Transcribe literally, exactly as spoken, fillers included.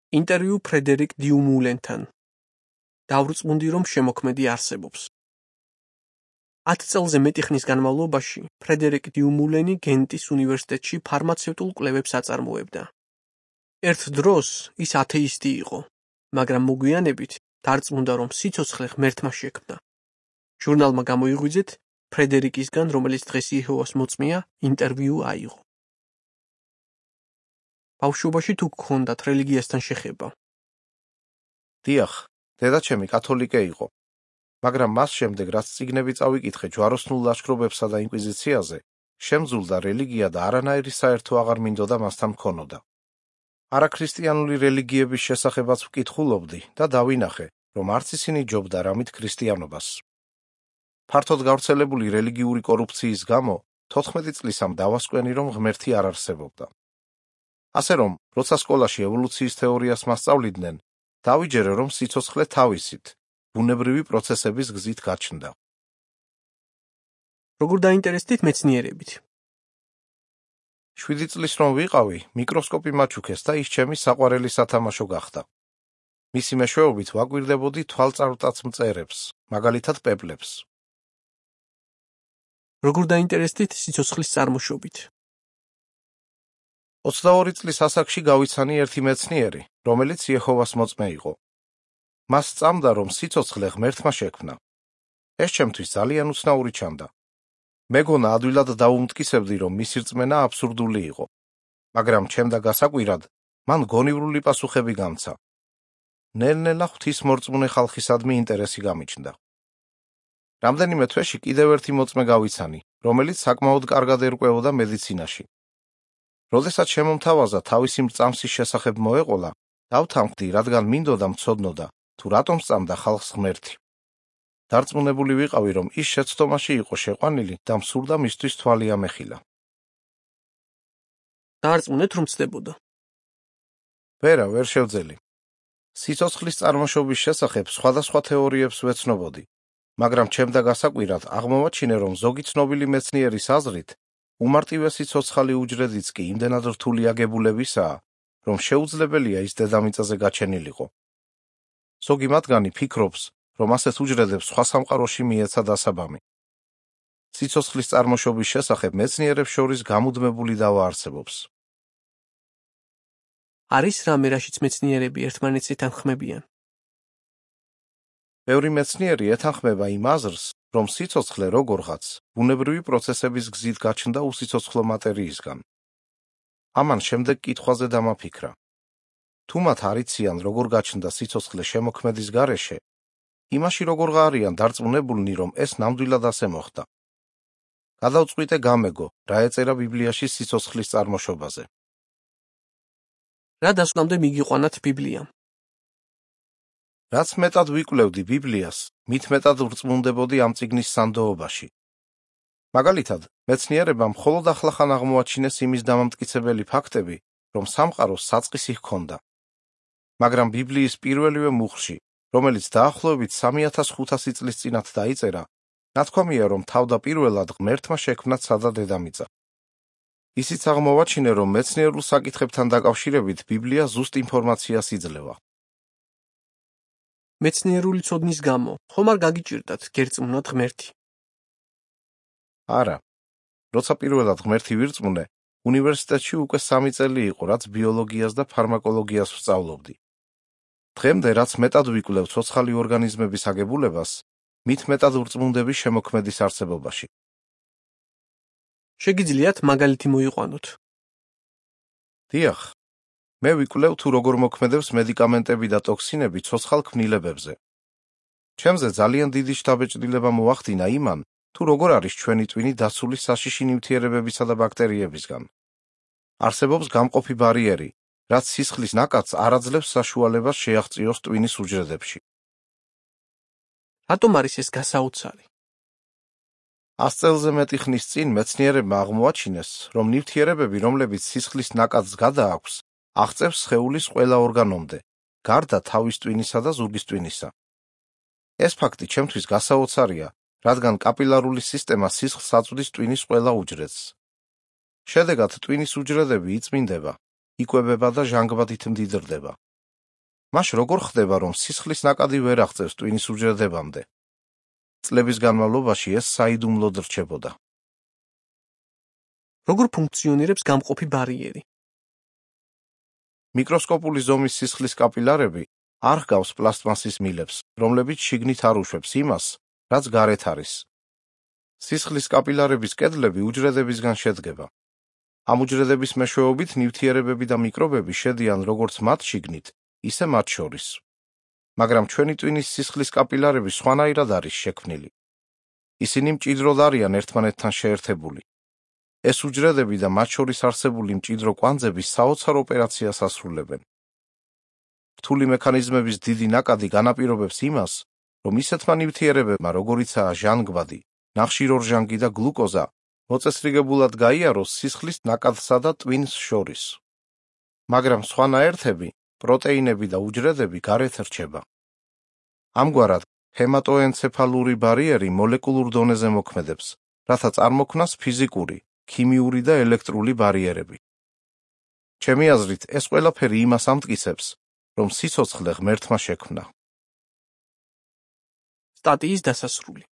ინტერვიუ ფრედერიკ დიუმულენთან. დავრწმუნდი, რომ შემოქმედი არსებობს. ათ წელზე მეტი ხნის განმავლობაში ფრედერიკ დიუმულენი გენტის უნივერსიტეტში ფარმაცევტულ კვლევებს აწარმოებდა. ერთ დროს ის ათეისტი იყო, მაგრამ მოგვიანებით დარწმუნდა, რომ სიცოცხლე ღმერთმა შექმნა. ჟურნალმა გამოიღვიძეთ ფრედერიკისგან, რომელიც დღეს იეჰოვას მოწმეა, ინტერვიუ აიღო. ბავშვობაში თუ გქონდათ რელიგიასთან შეხება? დიახ, დედაჩემი კათოლიკე იყო, მაგრამ მას შემდეგ, რაც წიგნები წავიკითხე ჯვაროსნულ ლაშქრობებსა და ინკვიზიციაზე, შემძულდა რელიგია და არანაირი საერთო აღარ მინდოდა მასთან მქონოდა. არაქრისტიანული რელიგიების შესახებაც ვკითხულობდი და დავინახე, რომ არც ისინი ჯობდა რამით ქრისტიანობას. ფართოდ გავრცელებული რელიგიური კორუფციის გამო თოთხმეტი წლის ამ დავასკვენი, რომ ღმერთი არ არსებობდა. ასე რომ, როცა სკოლაში ევოლუციის თეორიას მასწავლიდნენ, დავიჯერე, რომ სიცოცხლე თავისით, ბუნებრივი პროცესების გზით გაჩნდა. როგორ დაინტერესდით მეცნიერებით? შვიდი წლის რომ ვიყავი, მიკროსკოპი მაჩუქეს და ის ჩემი საყვარელი სათამაშო გახდა. მისი მეშვეობით ვაკვირდებოდი თვალწარმტაც მწერებს, მაგალითად პეპლებს. როგორ დაინტერესდით სიცოცხლის წარმოშობით? ოცდაორი წლის ასაკში გავიცანი ერთი მეცნიერი, რომელიც იეჰოვას მოწმე იყო. მას სწამდა, რომ სიცოცხლე ღმერთმა შექმნა. ეს ჩემთვის ძალიან უცნაური ჩანდა. მეგონა ადვილად დავუმტკიცებდი, რომ მისი რწმენა აბსურდული იყო, მაგრამ ჩემდა გასაკვირად, მან გონივრული პასუხები გამცა. ნელ-ნელა ღვთისმორწმუნე ხალხისადმი ინტერესი გამიჩნდა. რამდენიმე თვეში კიდევ ერთი მოწმე გავიცანი, რომელიც საკმაოდ კარგად ერკვეოდა მედიცინაში. როდესაც შემომთავაზა თავისი მრწამსის შესახებ მოეყოლა, დავთანხმდი, რადგან მინდოდა მცოდნოდა, თუ რატომ სწამდა ხალხს ღმერთი. დარწმუნებული ვიყავი, რომ ის შეცდომაში იყო შეყვანილი და მსურდა მისთვის თვალი ამეხილა. დაარწმუნეთ, რომ ცდებოდა? ვერა, ვერ შევძელი. სიცოცხლის წარმოშობის შესახებ სხვადასხვა თეორიებს ვეცნობოდი, მაგრამ ჩემდა გასაკვირად აღმოვაჩინე, რომ ზოგი ცნობილი მეცნიერის აზრით, უმარტივესი ცოცხალი უჯრედიც კი იმდენად რთული აგებულებისაა, რომ შეუძლებელია ის დედამიწაზე გაჩენილიყო. ზოგი მათგანი ფიქრობს, რომ ასეთ უჯრედებს სხვა სამყაროში მიეცა დასაბამი. სიცოცხლის წარმოშობის შესახებ მეცნიერებს შორის გამუდმებული დავა არსებობს. არის რამე, რაშიც მეცნიერები ერთმანეთს ეთანხმებიან? ბევრი მეცნიერი ეთანხმება იმ აზრს, რომ სიცოცხლე როგორღაც ბუნებრივი პროცესების გზით გაჩნდა უსიცოცხლო მატერიისგან. ამან შემდეგ კითხვაზე დამაფიქრა. თუ მათ არიციან, როგორ გაჩნდა სიცოცხლე შემოქმედის გარეშე, იმაში როგორ არიან დარწმუნებულნი, რომ ეს ნამდვილად ასე მოხდა. გადავწყვიტე გამეგო, რა ეწერა ბიბლიაში სიცოცხლის წარმოშობაზე. რა დასკვნამდე მიგიყვანათ ბიბლიამ? რაც მეტად ვიკვლევდი ბიბლიას, მით მეტად ვრწმუნდებოდი ამ წიგნის სანდოობაში. მაგალითად, მეცნიერებამ მხოლოდ ახლახან აღმოაჩინეს იმის დამამტკიცებელი ფაქტები, რომ სამყაროს საწყისი ჰქონდა. მაგრამ ბიბლიის პირველივე მუხლში, რომელიც დაახლოებით სამი ათას ხუთასი წლის წინათ დაიწერა, ნათქვამია, რომ თავდაპირველად ღმერთმა შექმნა ცა და დედამიწა. ისიც აღმოვაჩინე, რომ მეცნიერულ საკითხებთან დაკავშირებით ბიბლია ზუსტ ინფორმაციას იძლევა. მეცნიერული ცოდნის გამო, ხომ არ გაგიჭირდათ გერწმუნათ ღმერთი? არა. როცა პირველად ღმერთი ვირწმუნე, უნივერსიტეტში უკვე სამი წელი იყო, რაც ბიოლოგიას და ფარმაკოლოგიას ვსწავლობდი. დღემდე, რაც მეტად ვიკვლევ ცოცხალი ორგანიზმების აგებულებას, მით მეტად ვრწმუნდები შემოქმედის არსებობაში. შეგიძლიათ მაგალითი მოიყვანოთ? დიახ. მე ვიკვლევ, თუ როგორ მოქმედებს მედიკამენტები და ტოქსინები ცოცხალ ქმნილებებზე. ჩემზე ძალიან დიდი შთაბეჭდილება მოახდინა იმან, თუ როგორ არის ჩვენი ტვინი დაცული საშიში ნივთიერებებისა და ბაქტერიებისგან. არსებობს გამყოფი ბარიერი, რაც სისხლის ნაკადს არ აძლევს საშუალებას შეაღწიოს ტვინის უჯრედებში. რატომ არის ეს გასაოცარი? ას წელზე მეტი ხნის წინ მეცნიერებმა აღმოაჩინეს, რომ ნივთიერებები, რომლებიც სისხლის ნაკადს გადააქვს, აღწევს სხეულის ყველა ორგანომდე, გარდა თავის ტვინისა და ზურგის ტვინისა. ეს ფაქტი ჩემთვის გასაოცარია, რადგან კაპილარული სისტემა სისხლს აწვდის ტვინის ყველა უჯრედს. შედეგად ტვინის უჯრედები იწმინდება, იკვებება და ჟანგბადით მდიდრდება. მაშ როგორ ხდება, რომ სისხლის ნაკადი ვერ აღწევს ტვინის უჯრედებამდე? წლების განმავლობაში ეს საიდუმლოდ რჩებოდა. როგორ ფუნქციონირებს გამყოფი ბარიერი? მიკროსკოპული ზომის სისხლის კაპილარები არ ჰგავს პლასტმასის მილებს, რომლებიც შიგნით არ უშვებს იმას, რაც გარეთ არის. სისხლის კაპილარების კედლები უჯრედებისგან შედგება. ამ უჯრედების მეშვეობით ნივთიერებები და მიკრობები შედიან როგორც მათ შიგნით, ისე მათ შორის. მაგრამ ჩვენი ტვინის სისხლის კაპილარები სხვანაირად არის შექმნილი. ისინი მჭიდროდ არიან ერთმანეთთან შეერთებული. ეს უჯრედები და მათ შორის არსებული მჭიდრო კვანძები საოცარ ოპერაციას ასრულებენ. რთული მექანიზმების დიდი ნაკადი განაპირობებს იმას, რომ ისეთმა ნივთიერებებმა, როგორიცაა ჟანგბადი, ნახშირორჟანგი და გლუკოზა, მოწესრიგებულად გაიაროს სისხლის ნაკადსა და ტვინს შორის. მაგრამ სხვანაერთები, პროტეინები და უჯრედები გარეთ რჩება. ამგვარად, ჰემატოენცეფალური ბარიერი მოლეკულურ დონეზე მოქმედებს, რათა წარმოქმნას ფიზიკური, ქიმიური და ელექტრული ბარიერები. ჩემი აზრით, ეს ყველაფერი იმას ამტკიცებს, რომ სიცოცხლე ღმერთმა შექმნა. სტატიის დასასრული.